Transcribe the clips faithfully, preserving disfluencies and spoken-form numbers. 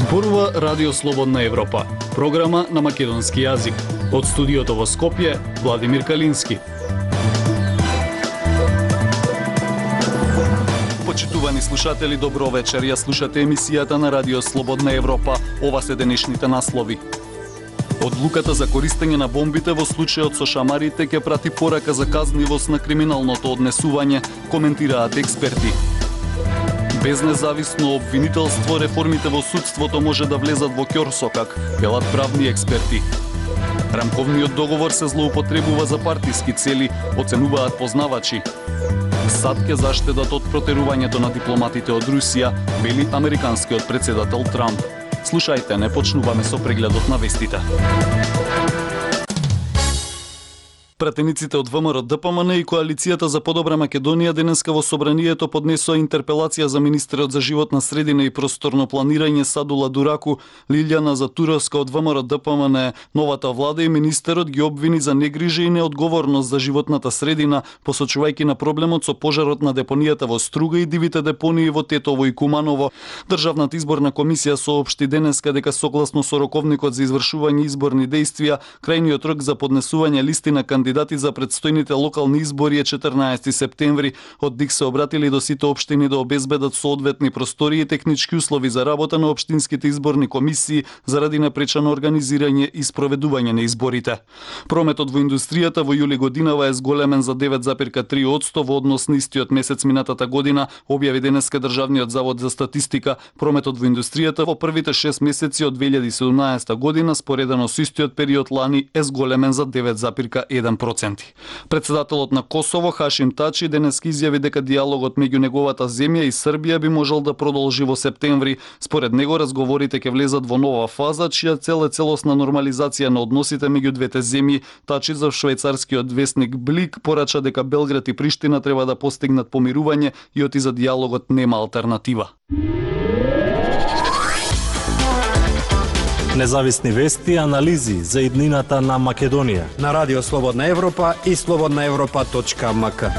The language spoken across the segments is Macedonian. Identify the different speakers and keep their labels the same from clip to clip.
Speaker 1: Зборува Радио Слободна Европа, програма на македонски јазик. Од студиото во Скопје, Владимир Калински. Почитувани слушатели, добро вечер. Ја слушате емисијата на Радио Слободна Европа. Ова се денешните наслови. Одлуката за користење на бомбите во случајот со шамарите ќе прати порака за казнивост на криминалното однесување, коментираат експерти. Без независно обвинителство, реформите во судството може да влезат во ќорсокак, велат правни експерти. Рамковниот договор се злоупотребува за партиски цели, оценуваат познавачи. САД ќе заштедат од протерувањето на дипломатите од Русија, вели американскиот претседател Трамп. Слушајте, не почнуваме со прегледот на вестите. Пратениците од ВМРО-ДПМН и Коалицијата за подобра Македонија денеска во собранието поднесоа интерпелација за министерот за животна средина и просторно планирање Садула Дураку. Лилјана Затуровска од ВМРО-ДПМН, новата влада и министерот ги обвини за негрижа и неодговорност за животната средина, посочувајќи на проблемот со пожарот на депонијата во Струга и дивите депонии во Тетово и Куманово. Државната изборна комисија соопшти денеска дека согласно со роковникот за извршување изборни дејствија, крајниот рок за поднесување листи на кандидати Кандидати за предстојните локални избори е четрнаесети септември. Од ДИК се обратили до сите општини да обезбедат соодветни простори и технички услови за работа на општинските изборни комисии заради напречано организирање и спроведување на изборите. Прометот во индустријата во јули годинава е зголемен за девет запирка три одсто во однос на истиот месец минатата година, објави денеска Државниот завод за статистика. Прометот во индустријата во првите шест месеци од две илјади и седумнаесета година, споредено со истиот период лани, е зголемен за девет запирка еден проценти. Председателот на Косово Хашим Тачи денес изјави дека диалогот меѓу неговата земја и Србија би можел да продолжи во септември. Според него разговорите ќе влезат во нова фаза, чија цел е целосна нормализација на односите меѓу двете земји. Тачи за швајцарскиот весник Блик порача дека Белград и Приштина треба да постигнат помирување и оти за диалогот нема алтернатива.
Speaker 2: Независни вести и анализи за иднината на Македонија
Speaker 3: на Радио Слободна Европа и слободна европа точка ем ка.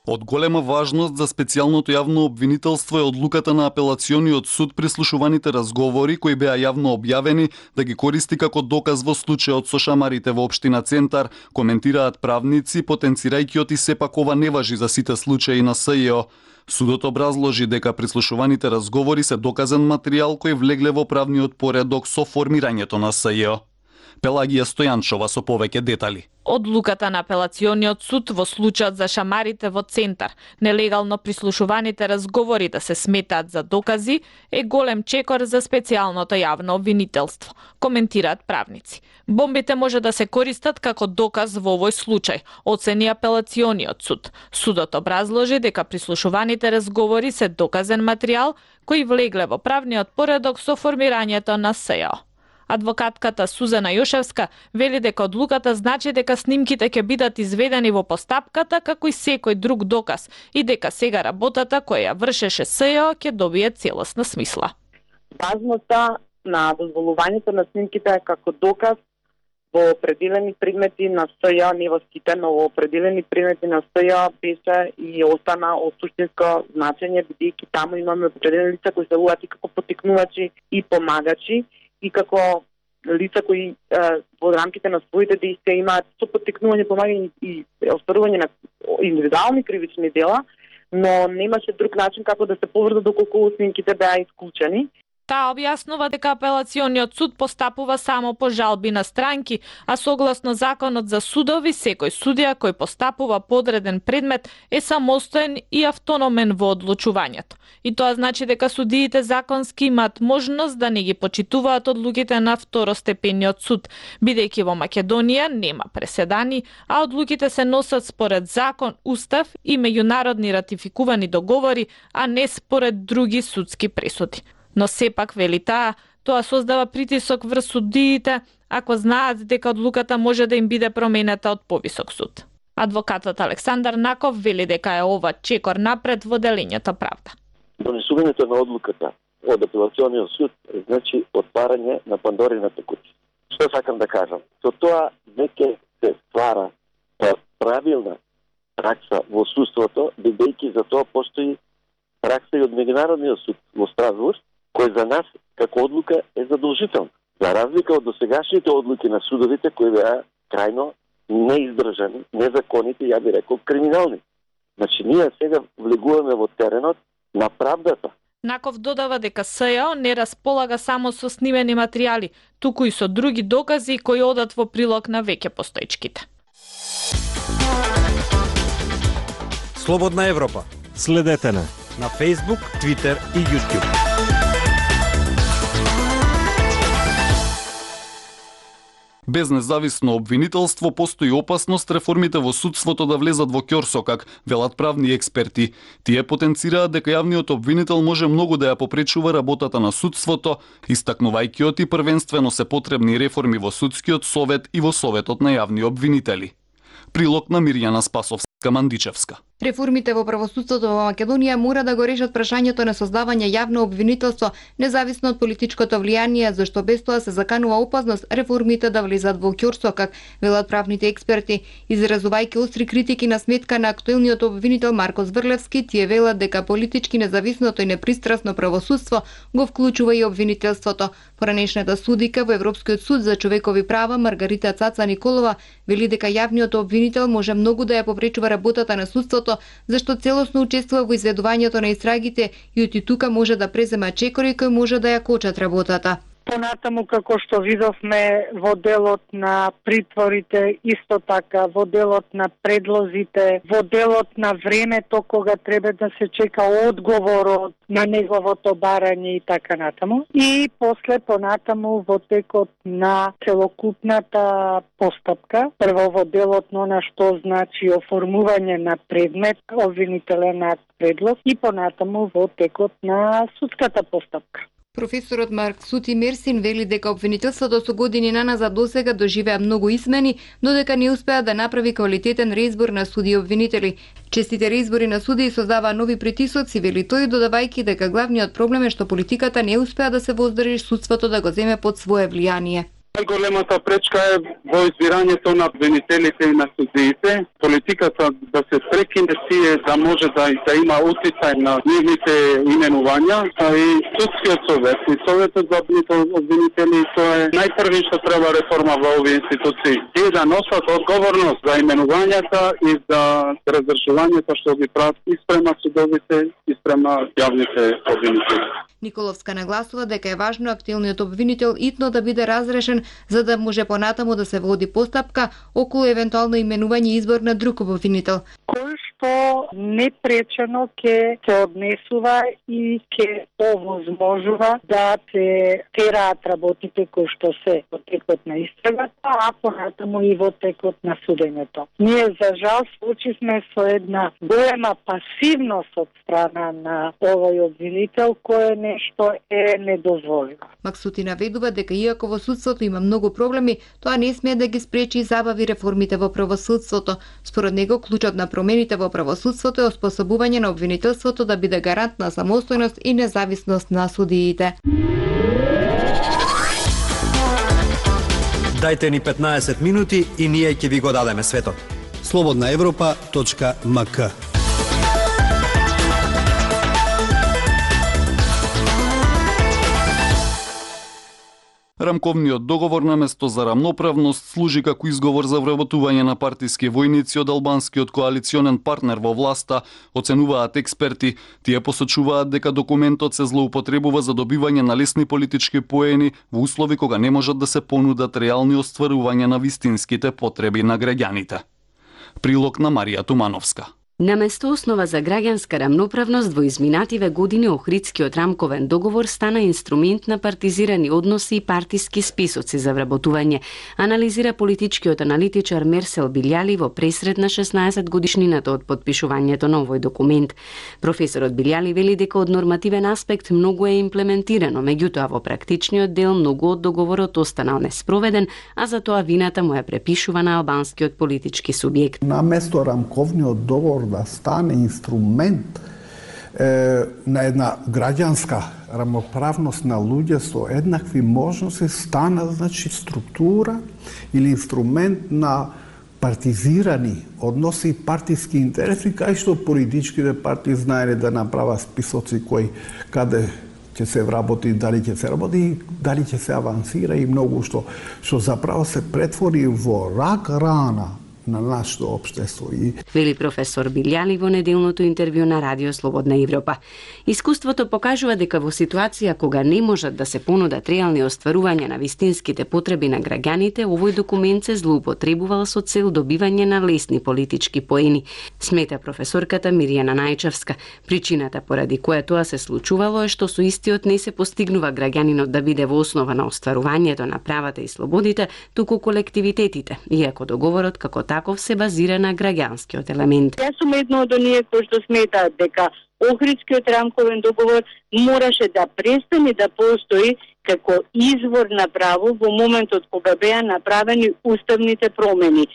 Speaker 1: Од голема важност за специјалното јавно обвинителство е одлуката на апелациониот суд прислушуваните разговори кои беа јавно објавени да ги користи како доказ во случајот со шамарите во општина Центар, коментираат правници, потенцирајќи оти сепак ова не важи за сите случаи на СЈО. Судот образложи дека прислушуваните разговори се доказен материјал кој влегле во правниот поредок со формирањето на СЈО. Пелагија Стојанчова со повеќе детали.
Speaker 4: Одлуката на апелациониот суд во случајот за шамарите во Центар, нелегално прислушуваните разговори да се сметаат за докази, е голем чекор за специјалното јавно обвинителство, коментираат правници. Бомбите може да се користат како доказ во овој случај, оцени апелациониот суд. Судот образложи дека прислушуваните разговори се доказен материјал кој влегле во правниот поредок со формирањето на СЈО. Адвокатката Сузана Јошевска вели дека одлуката значи дека снимките ќе бидат изведени во постапката како и секој друг доказ и дека сега работата која ја вршеше СЈО ќе добие целосна смисла.
Speaker 5: Важноста на дозволувањето на снимките како доказ во определени предмети на СЈО, не во сите, но во определени предмети на СЈО беше и остана од суштинско значење, бидејќи таму имаме определени лица кои се луат и како потикнувачи и помагачи, и како лица кои е, во рамките на своите дејствија имаат со поттикнување, помагање и остварување на индивидуални кривични дела, но немаше друг начин како да се поврза доколку снимките беа исклучени.
Speaker 4: Таа објаснува дека апелациониот суд постапува само по жалби на странки, а согласно законот за судови, секој судија кој постапува по одреден предмет е самостоен и автономен во одлучувањето. И тоа значи дека судиите законски имаат можност да не ги почитуваат одлуките на второстепениот суд, бидејќи во Македонија нема преседани, а одлуките се носат според закон, устав и меѓународни ратификувани договори, а не според други судски пресуди. Но сепак, вели таа, тоа создава притисок врз судиите ако знаат дека одлуката може да им биде променета од повисок суд. Адвокатот Александар Наков вели дека е ова чекор напред во делењето правда.
Speaker 6: Донесувањето на одлуката од апелациониот суд значи отварање на Пандорината кутија. Што сакам да кажам? Со тоа веќе се ствара правилна пракса во судството, бидејќи за тоа постои пракса и од Меѓународниот суд во Страсбург, кој за нас како одлука е задолжителна. За разлика од досегашните одлуки на судовите кои беа крајно неиздржани, незаконити, ја би рекол криминални. Значи ние сега влегуваме во теренот на правдата.
Speaker 4: Наков додава дека СЈО не располага само со снимени материјали, туку и со други докази кои одат во прилог на веќе постоечките.
Speaker 3: Слободна Европа.
Speaker 2: Следете на
Speaker 3: На Facebook, Twitter и YouTube.
Speaker 1: Без независно обвинителство постои опасност реформите во судството да влезат во ќорсокак, велат правни експерти. Тие потенцираат дека јавниот обвинител може многу да ја попречува работата на судството, истакнувајќи оти првенствено се потребни реформи во судскиот совет и во советот на јавни обвинители. Прилог на Мирјана Спасовска-Мандичевска.
Speaker 7: Реформите во правосудството во Македонија мора да го решат прашањето на создавање јавно обвинителство, независно од политичкото влијание, зашто без тоа се заканува опасност реформите да влезат во ќорсокак, велат правните експерти. Изразувајќи остри критики на сметка на актуелниот обвинител Марко Зврлевски, тие велат дека политички независното и непристрасно правосудство го вклучува и обвинителството. Поранешната судика во Европскиот суд за човекови права Маргарита Цаца Николова вели дека јавниот обвинител може многу да ја попречува работата на судството, зашто целосно учествува во изведувањето на истрагите и оти тука може да презема чекори кои може да ја кочат работата.
Speaker 8: Понатаму, како што видовме во делот на притворите, исто така во делот на предлозите, во делот на времето кога треба да се чека одговорот на неговото барање и така натаму. И после понатаму во текот на целокупната постапка, прво во делот на она што значи оформување на предмет, обвинителен акт, предлог и понатаму во текот на судската постапка.
Speaker 7: Професорот Марк Сути Мерсин вели дека обвинителството со години наназад досега доживеа многу измени, но дека не успеа да направи квалитетен реизбор на суди и обвинители. Честите реизбори на суди создаваа нови притисоци, вели тој, додавајќи дека главниот проблем е што политиката не успеа да се воздржи судството да го земе под свое влијание.
Speaker 9: Најголемата пречка е во избирањето на обвинителите и на судиите. Политиката да се прекине тие да може да, да има утицај на нивните именувања, а и судскиот совет и советот за обвинители, тоа е најпрви што треба реформа во овие институции. Тие да носат одговорност за именувањата и за разрешувањето што ги прават и спрема судовите и спрема јавните обвинители.
Speaker 7: Николовска нагласува дека е важно актуелниот обвинител итно да биде разрешен за да може понатаму да се води постапка околу евентуално именување и избор на друг обвинител.
Speaker 8: Кој што непречено ќе се однесува и ќе овозможува да се тераат работите кои што се во текот на истрагата, а понатаму и во текот на судењето. Ние за жал случивме со една голема пасивност од страна на овој обвинител кој нешто е недозволиво.
Speaker 7: Максути наведува дека иако во судството има многу проблеми, тоа не смее да ги спречи и забави реформите во правосудството. Според него, клучот на промените во правосудството е оспособување на обвинителството да биде гарант на самостојност и независност на судиите.
Speaker 3: Дајте ни петнаесет минути и ние ќе ви го дадеме светот.
Speaker 10: слободна европа точка ем ка.
Speaker 1: Рамковниот договор на место за рамноправност служи како изговор за вработување на партиски војници од албанскиот коалиционен партнер во власта, оценуваат експерти. Тие посочуваат дека документот се злоупотребува за добивање на лесни политички поени во услови кога не можат да се понудат реални остварувања на вистинските потреби на граѓаните. Прилог на Марија Тумановска.
Speaker 11: Наместо основа за граѓанска рамноправност во изминативе години Охридскиот рамковен договор стана инструмент на партизирани односи и партиски списоци за вработување, анализира политичкиот аналитичар Мерсел Билјали во пресрет на шеснаесет годишнината од подпишувањето на овој документ. Професорот Билјали вели дека од нормативен аспект многу е имплементирано, меѓутоа во практичниот дел многу од договорот останал неспроведен, а за тоа вината му е препишува на албанскиот политички субјект.
Speaker 12: Наместо рамковниот договор да стане инструмент е, на една граѓанска рамноправност на луѓе со еднакви можности, стана значи структура или инструмент на партизирани односи, партиски интереси, кај што политичките партии знаеле да направат списоци кои каде ќе се вработи, дали ќе се работи, дали ќе се авансира и многу што што заправо се претвори во рак рана на нашето општество. И...
Speaker 11: Вели професор Билјали во неделното интервју на Радио Слободна Европа. Искуството покажува дека во ситуација кога не можат да се понудат реални остварувања на вистинските потреби на граѓаните, овој документ се злоупотребувал со цел добивање на лесни политички поени, смета професорката Мирјана Најчевска. Причината поради која тоа се случувало е што со истиот не се постигнува граѓанинот да биде во основа на остварувањето на правата и слободите, туку колективитетите, иако договорот како таков се базира на граѓанскиот елемент.
Speaker 13: Јас сум едно од оние кои што сметаат дека Охридскиот рамковен договор мораше да престане да постои како извор на право во моментот кога беа направени уставните промени.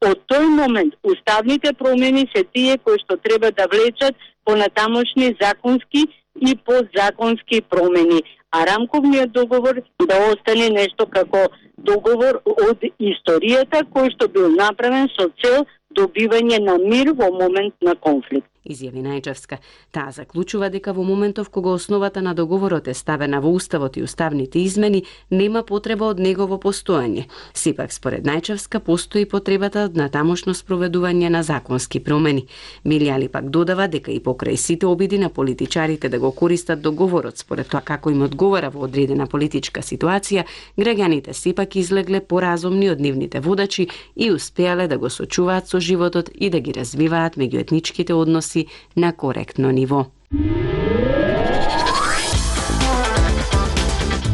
Speaker 13: Од тој момент уставните промени се тие кои што треба да влечат понатамошни законски и подзаконски промени, а рамковниот договор да остане нешто како договор од историјата кој што бил направен со цел добивање на мир во момент на конфликт.
Speaker 11: Изјави Најчевска. Таа заклучува дека во моментов кога основата на договорот е ставена во уставот и уставните измени, нема потреба од негово постоење. Сепак, според Најчевска, постои потребата од натамошно спроведување на законски промени. Билјали пак додава дека и покрај сите обиди на политичарите да го користат договорот според тоа како им одговара во одредена политичка ситуација, граѓаните сепак излегле поразумни од нивните водачи и успеале да го сочуваат со животот и да ги развиваат меѓуетничките односи на коректно ниво.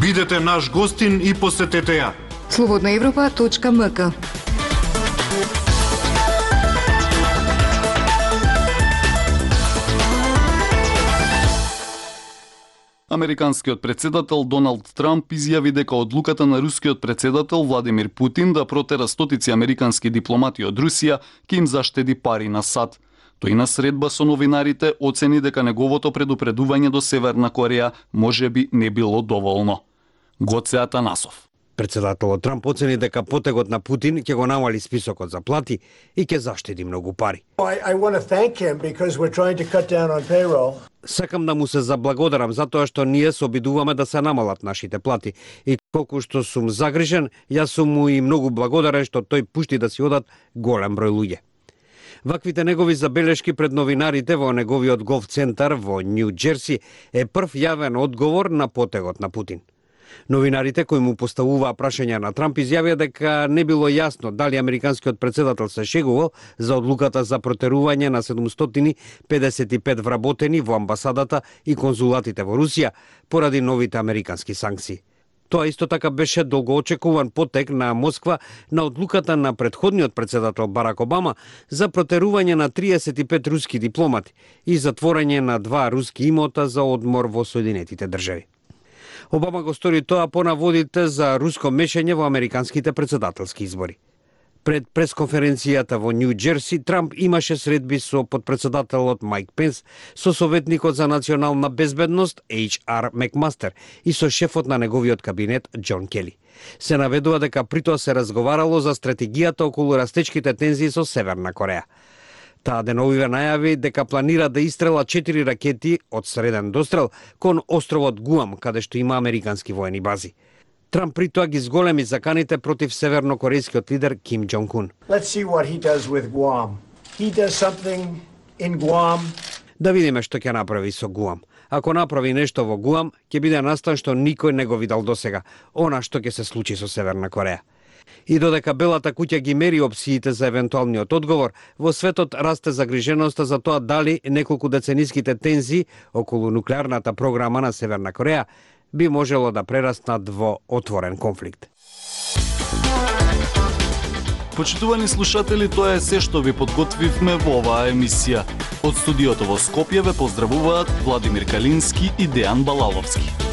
Speaker 14: Бидете наш гостин и посетете ја.
Speaker 7: слободна европа точка ем ка.
Speaker 1: Американскиот председател Доналд Трамп изјави дека одлуката на рускиот председател Владимир Путин да протера стотици американски дипломати од Русија ќе им заштеди пари на САД. Тој на средба со новинарите оцени дека неговото предупредување до Северна Кореја можеби не било доволно. Гоце Атанасов.
Speaker 3: Председателот Трамп оцени дека потегот на Путин ќе го намали списокот за плати и ќе заштеди многу пари.
Speaker 15: I, I want to thank him because we're trying to cut down on payroll.
Speaker 3: Сакам да му се заблагодарам затоа што ние се обидуваме да се намалат нашите плати и колку што сум загрижен, јас сум му и многу благодарен што тој пушти да си одат голем број луѓе. Ваквите негови забелешки пред новинарите во неговиот голф центар во Нью Џерси е прв јавен одговор на потегот на Путин. Новинарите кои му поставуваа прашања на Трамп изјавија дека не било јасно дали американскиот председател се шегувал за одлуката за протерување на седумстотини педесет и пет вработени во амбасадата и конзулатите во Русија поради новите американски санкции. Тоа исто така беше долгоочекуван потек на Москва на одлуката на претходниот председател Барак Обама за протерување на триесет и пет руски дипломати и затворање на два руски имота за одмор во Соединетите држави. Обама го стори тоа по наводите за руско мешање во американските председателски избори. Пред пресконференцијата во Нью Џерси, Трамп имаше средби со подпредседателот Мајк Пенс, со советникот за национална безбедност Ејч Ар Макмастер и со шефот на неговиот кабинет Џон Кели. Се наведува дека при тоа се разговарало за стратегијата околу растечките тензии со Северна Кореја. Таа деновиве најави дека планира да истрела четири ракети од среден дострел кон островот Гуам, каде што има американски воени бази. Трамп при тоа ги зголеми заканите против севернокорејскиот лидер Ким Џонг Ун.
Speaker 15: Let's see what he does with Guam. He does something in Guam.
Speaker 3: Да видиме што ќе направи со Гуам. Ако направи нешто во Гуам, ќе биде настан што никој не го видал досега, она што ќе се случи со Северна Кореја. И додека Белата куќа ги мери опциите за евентуалниот одговор, во светот расте загриженоста за тоа дали неколку децениските тензии околу нуклеарната програма на Северна Кореја би можело да прераснат во отворен конфликт.
Speaker 1: Почитувани слушатели, тоа е се што ви подготвивме во оваа емисија. Од студиото во Скопје ве поздравуваат Владимир Калински и Дејан Балаловски.